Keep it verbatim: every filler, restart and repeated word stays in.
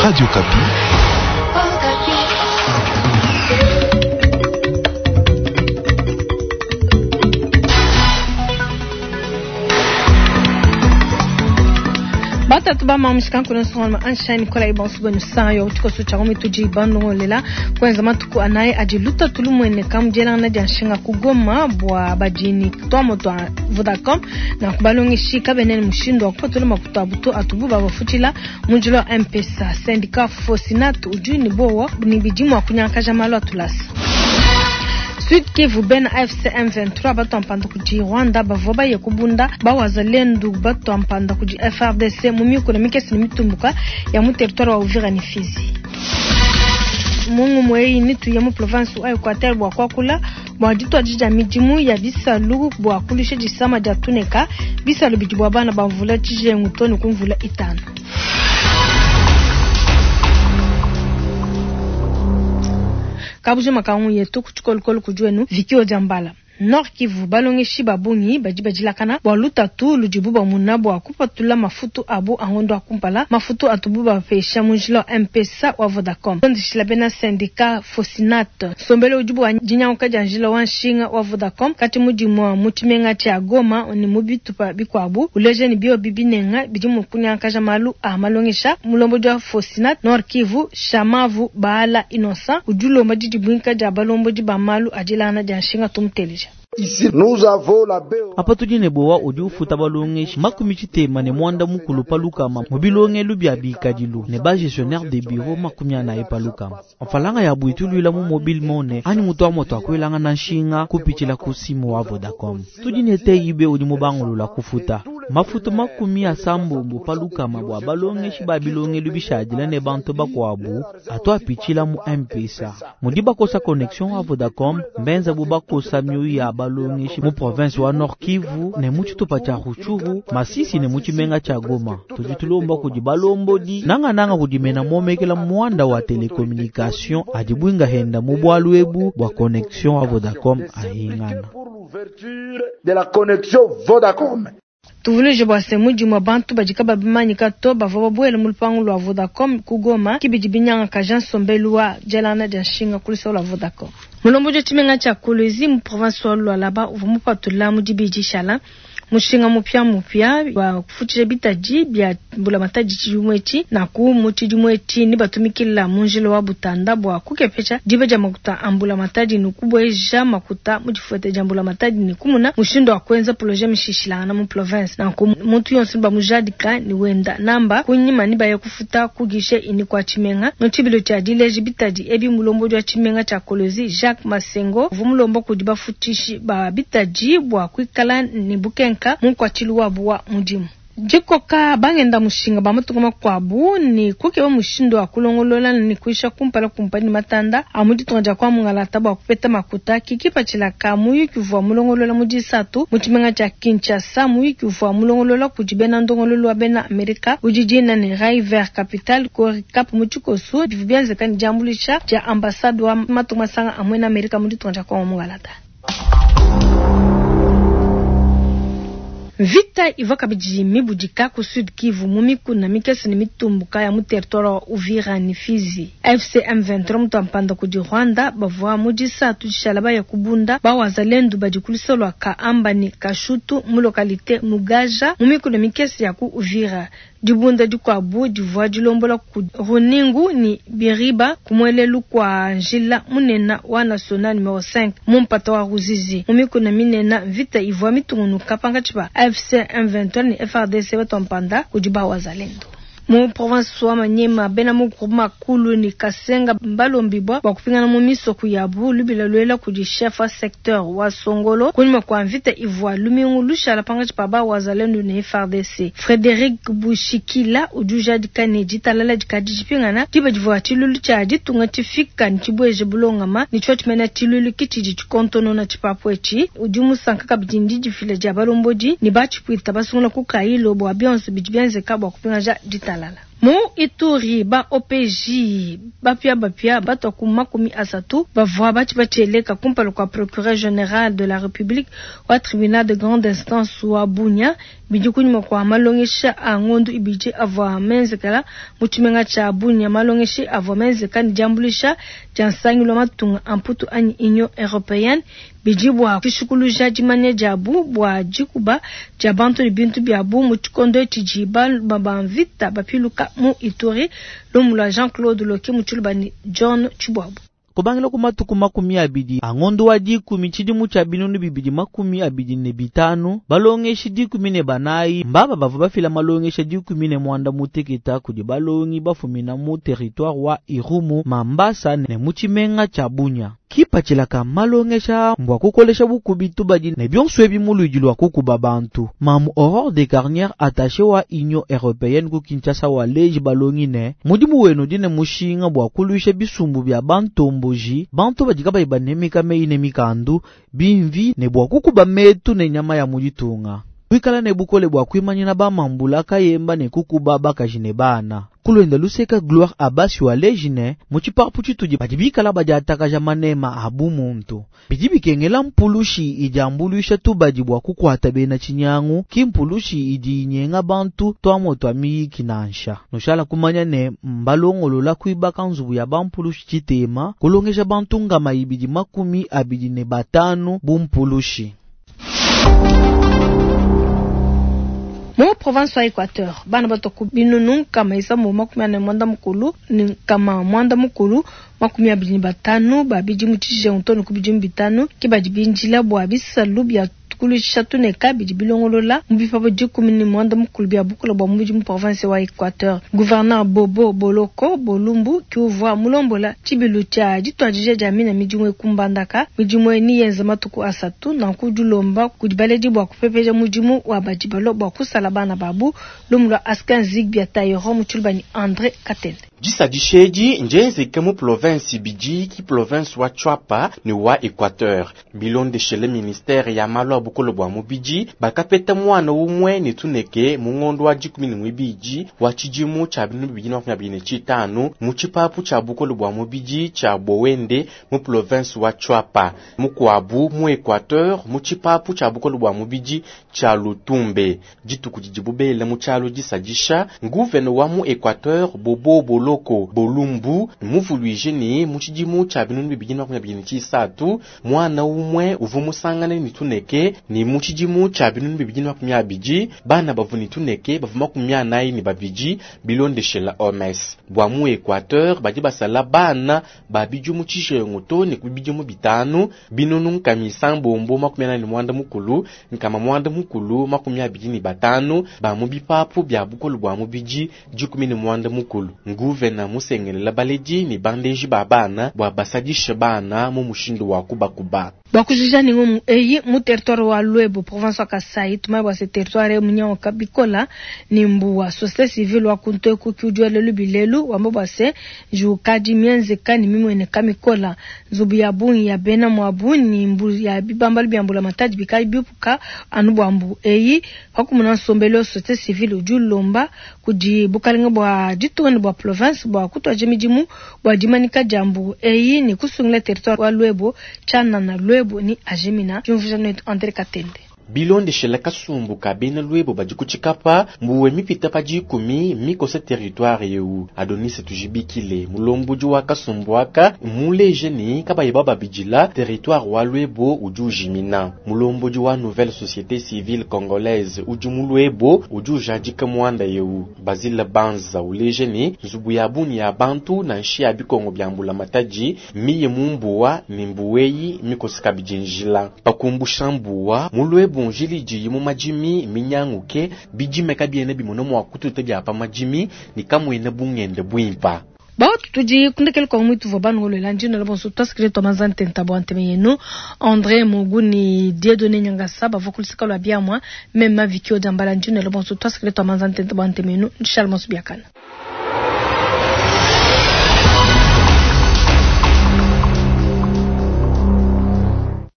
Radio Okapi. Batatu bamamushika nkuno ansha Nicola ibansu benu sayo tshikoso tsha mituji bandongolela kwenza matuku anaye adi lutatu lumwene kamujelana dia nshinga kugoma bua badini twamo twa Vodacom na kubalongeshi kabenene mushindu wa kupatula makuta abutu atubu babafutila munjilo wa M-Pesa syndicat Fosinat udi ni bowa ni bidimu akunyankaja malu atulasa Sud Kivu ben A F C M vingt-trois bato mpanda kudi Rwanda bavua baye kubunda bawazalendu bato mpanda kudi F R D C mu mikolo mikese ne mitumbuka ya mu territoire wa Uvira ni Fizi. Mungu mweyi ni tuye mu province wa Equateur bwa kwakula bwa ditwa dija midimu ya bisalu bwa kulisha disama dia tuneka bisalu bidi bwa bana bamvula tshijengu toni kumvula itano. Kabujo makangu yetu kuchikolokolo kujuenu vikio jambala Nord Kivu balongeshi babungi badi badilakana bwa lutatu ludibu bamuna bwa kupatula mafutu abu angondo akumpala mafutu atubu bapesha munjila wa M-Pesa wa Vodacom ndishila bena syndicat Fosinat sombele udibu wa dinyanguka dia njila wa nshinga wa Vodacom kati mudimu wa mutshimenga tshia Goma ni mu bitupa bikuabu uleje ni bio bibinenga bidi mu kunyankaja malu a malongesha mulombodi wa Fosinat Nord Kivu Shamavu Baala Innocent udulomba didibwinka dia balombodi ba malu adilana dia nshinga tumuteleja. Ici, nous avons la B O. Apa tudi ne bowa udi ufuta balongeshi makumi tshitema ne mwanda mukulu palukama mu bilongelu bia bikadilu ne ba gestionnaire de bureau makumi anayi palukama. Mfalanga ya bwitu luila mu mobile money anyi mutu wa moto akwelanga na nshinga kupitshila ku simu wa Vodacom. Tudi ne T I B udi mubangulula kufuta mafutu makumi asambombo palukama bua balongeshi ba bilongelu bishadila ne bantu bakuabu atu apitshila mu M-Pesa. Mudi bakosa connexion wa Vodacom mbenza bu bakosa mioyo ya balongeshi mu province wa Nord Kivu ne mu tshitupa tshia Rutshuru, Masisi ne mu tshimenga tshia Goma. Tudi tulomba kudi balombodi nangananga kudi mena momekela muanda wa telecommunication adi bwinga henda mu bwalu ebu bua connexion wa Vodacom ahingana. De la connexion Vodacom. Tuvuluje bua se mudimu wa bantu badi kababimanyika to bavua babuele mu lupangu lua Vodacom ku Goma kibidi binyanga kaja nsombelu wa dialana dia nshinga ku luseke lua Vodacom. Mulombodi wa tshimenga tshia Kolwezi mu province wa Lualaba uvua mupatula mu dibidi shala mushinga mupya mupya wa kufutshisha bitadi bia mbulamatadi tshidimu etshi naku mu tshidimu etshi ni batumikila mu njila wa butanda bua kukepesha diba dia makuta a mbulamatadi ni kubueja makuta mu difuete dia mbulamatadi ni kumuna mushindu wa kuenza projet mishishilangana mu province naku muntu yonso bamujadika ni wenda namba kunyima ni baye kufuta kugishe ini kwa tshimenga mu tshibilo tshia dileji bitadi ebi mulombodi wa tshimenga tshia Kolwezi Jacques Masengo uvua mulomba kudi bafutishi ba bitadi bua kuikala ni bukenka munkwatshili wabu wa mudimu. Dikoka bangenda mushinga ba matuku makuabu ni kukeba mushindu wa kulongolola ni kuisha kumpala kumpani matanda a mu ditunga dia kwa mungalata bua kupeta makuta kikipatshila ka muyuki uvua mulongolola mu disatu mu tshimenga tshia Kinshasa muyuki uvua mulongolola kudi bena ndongololo wa bena Amerika udi dina ne River Capital Coricap mu tshikoso bivua bienzeka ne diambuluisha dia ambassade wa matuku masanga a muena Amerika mu ditunga dia kwa mungalata. Vita ivua kabidi mibudika ku Sud Kivu mu mikuna mikese ne mitumbuka ya mu territoire wa Uvira ni Fizi. F C M vingt-trois mutu ampanda kudi Rwanda bavua mu disatu dishala baya kubunda bawazalendu badi ku luseke lua Kaamba ni Kashutu mu localité Mugaja mu mikuna mikese ya ku Uvira. Dibunda dikuabu divua dilombola ku Runingu ni Biriba kumwelelu kwa njila munena wa national numero cinq mu mpata wa Ruzizi. Mu mikuna minena vita ivua mitungunuka pankatshi pa F C M vingt-trois ni F R D C batompanda kudi bawazalendo. Mu province wa Maniema bena mu groupe makulu ni Kasenga balombibwa bua kupingana mu misoko yabu lubila luela kudi chef wa secteur wa Songolo kunyuma kwa mvita ivua lumingu lushala pankatshi pa bawazalendo ne F R D C. Frederic Bushikila udi ujadika ne ditalala dikadi dipingana diba divua tshilulu tshia ditunga tshifika ne tshibweje bulongama ne tshio tshimena tshilulu kitshidi tshikontonona tshipapu etshi udi musanka kabidi ndi difila dia balombodi ne batshipwita basungula ku Kailo bua bionso bidi bienzeka bua kupingaja ditalala. Mu Ituri ba O P J bapia bapia batwa ku makumi asatu bavua batshibatshieleka kumpala kua procureur général de la République wa tribunal de grande instance wa Bunia bidi kunyuma kua malongesha a ngondu ibidi avua menzekela mu tshimenga tshia Bunia. Malongesha avua menzeka ne diambuluisha dia nsangilu wa matunga a Mputu anyi Union européenne bidi bua kushikuluja dimanya diabu bua dikuba dia bantu ne bintu biabu mu tshikondo tshidi ba mvita bapiluka mu Ituri. Lumu lua Jean-Claude Loki mu tshiluba ni John Chibwabu. Kubangila ku matuku makumi abidi angondo wa dikumi tshidimu tshia binunu bibidi makumi abidi ne bitanu balongeshi dikumi ne banayi mbaba bavua bafila malongesha dikumi ne mwanda muteketa kudi balongi bafumina mu territoire wa Irumu Mambasa ne mu tshimenga tshia Bunia. Kipatshila malongesha mbwa kukolesha bukubi tubadi ne bionso ebi mu luidi lua kukuba bantu. Mamu Aurore de Carnière attaché wa Union européenne ku Kinshasa wa leji balongi ne mudimu wenu dine mushinga bua kuluisha bisumbu bya bantomboji bantu badi kabayi banemeka meyi ne mikandu bimvi ne bua kukuba metu ne nyama ya muditunga. Kuikala ne bukole bua kuimanyina bamambula kayemba ne kukuba bakaji ne bana. Kulwenda luseka Gloire Abasi wa lejine mu tshipapu tshitudi badi bikala badi atakaja manema abu muntu. Bidi bikengela mpulushi idi ambuluisha tubadi bua kukwata bena tshinyangu ki mpulushi idi inyenga bantu twamo twa miyiki nansha. Nushala kumanya ne mbalongolola kuibaka nzubu ya bampulushi tshitema kulongesha bantu ngama ibidi makumi abidi ne batanu bu mpulushi. Mu province wa Equateur bana batoku binunu kama isambo makumi ane mwanda mukulu ni kama mwanda mukulu makumi abidi batanu babidi mu tshijengu to ne ku bidimu bitanu ke badi binjila bua bisalu bia kulusha tuneka bidi bilongolola mu bipabo dikumi ne mwanda mukulu bia bukula bua mubidi mu province wa Equateur. Gouverneur Bobo Boloko Bolumbu kiuvua mulombola tshibilu tshia dituadija dia mina midimu ekumbandaka midimu eni yenza matuku asatu nanku dilomba kudi baledi bua kupepeja mudimu wa badi balo bua kusala bana babu. Lumu lua Askin Zigbia Tayoro mu tshiluba ni André Katende. Disadishedi njenzeke mu province bidi ki province wa Tshuapa ne wa Equateur. Bilondeshele ministère ya malu a bukolo bua mubidi bakapeta mwana umwe ne tuneke mu ngondo wa dikumi ne mwibidi wa tshidimu tshia binunu bibidi na makumi abidi ne tshitanu mu tshipapu tshia bukolo bua mubidi tshia Bowende mu province wa Tshuapa, mukuabu mu Equateur mu tshipapu tshia bukolo bua mubidi tshia Lutumbe. Dituku didi bubele mu tshialo disadisha gouverneur wa mu Equateur Bobo Boloko Bolumbu muvuluije ne mu tshidimu tshia binunu bibidi na makumi abidi ne tshisatu mwana umwe uvu musangane ne tuneke ni mu tshidimu tshia binunu bibidi na makumi abidi bana bavu ne tuneke bavu makumi anayi ne babidi bilondeshela O M S. Bua mu Equateur badi basala bana babidi mu tshijengu to ne ku bidimu bitanu binunu nkama isambombo makumi anayi ne mwanda mukulu nkama mwanda mukulu makumi abidi ne batanu ba mu bipapu bia bukolo bua mubidi dikumi ne mwanda mukulu. Nguvena musengelela baledi ne bandeji ba bana bua basadishe bana mu mushindu wa kubakuba. Bakujija ni ngomu eyi mu territoire wa Luebo province wa Kasai tumai bwa se territoire munyango kabikola ni mbuwa société civile wa kunto ku kiujwele lubilelu wamba bwa se jukadi mienzeka ni mimwene kamikola nzubu ya bungi ya bena mwabu ni mbu ya bibamba byambula mataji bikali bipuka anu bwa mbu eyi pakumuna nsombelo société civile ujulomba kudi bukalenga bwa ditunga bwa province bwa kutwaje midimu bwa dimanika jambu eyi ni kusungila territoire wa Luebo chana na Luebo ni Ajemina jumvuja netu André Katende. Bilondeshela kasumbu ka bena Luebo badi kutshikapa mbuwe mipita pa dikumi mikosa territoire yeu. Adonis tujibikile mulombodi wa kasumbu aka muleje ni kabayi bababidila territoire wa Luebo udi ujimina. Mulombodi wa nouvelle société civile congolaise udi mu Luebo udi ujadika muanda yeu. Basile Banza uleje ni nzubu ya buni ya bantu na nshi ya bikongo bya mbula matadi miye mumbuwa ni mbuweyi mikosa kabidinjila. Pakumbusha mbuwa mu Luebo bunjili ji mu majimi minyanguke bijime kabiene bimono mwa kututa bya pa majimi ni kamwene bungende bwimpa. Bautu tudi kundekele kwa mwitu vwa banu ngolo njino la bonso twasikile twa mazante ntabo anteme yenu André Muguni Dieudonné Nyangasa bavo kulisika lwa biamwa mema vikio jambala njino la bonso twasikile twa mazante ntabo anteme yenu Charles Monsu biakana.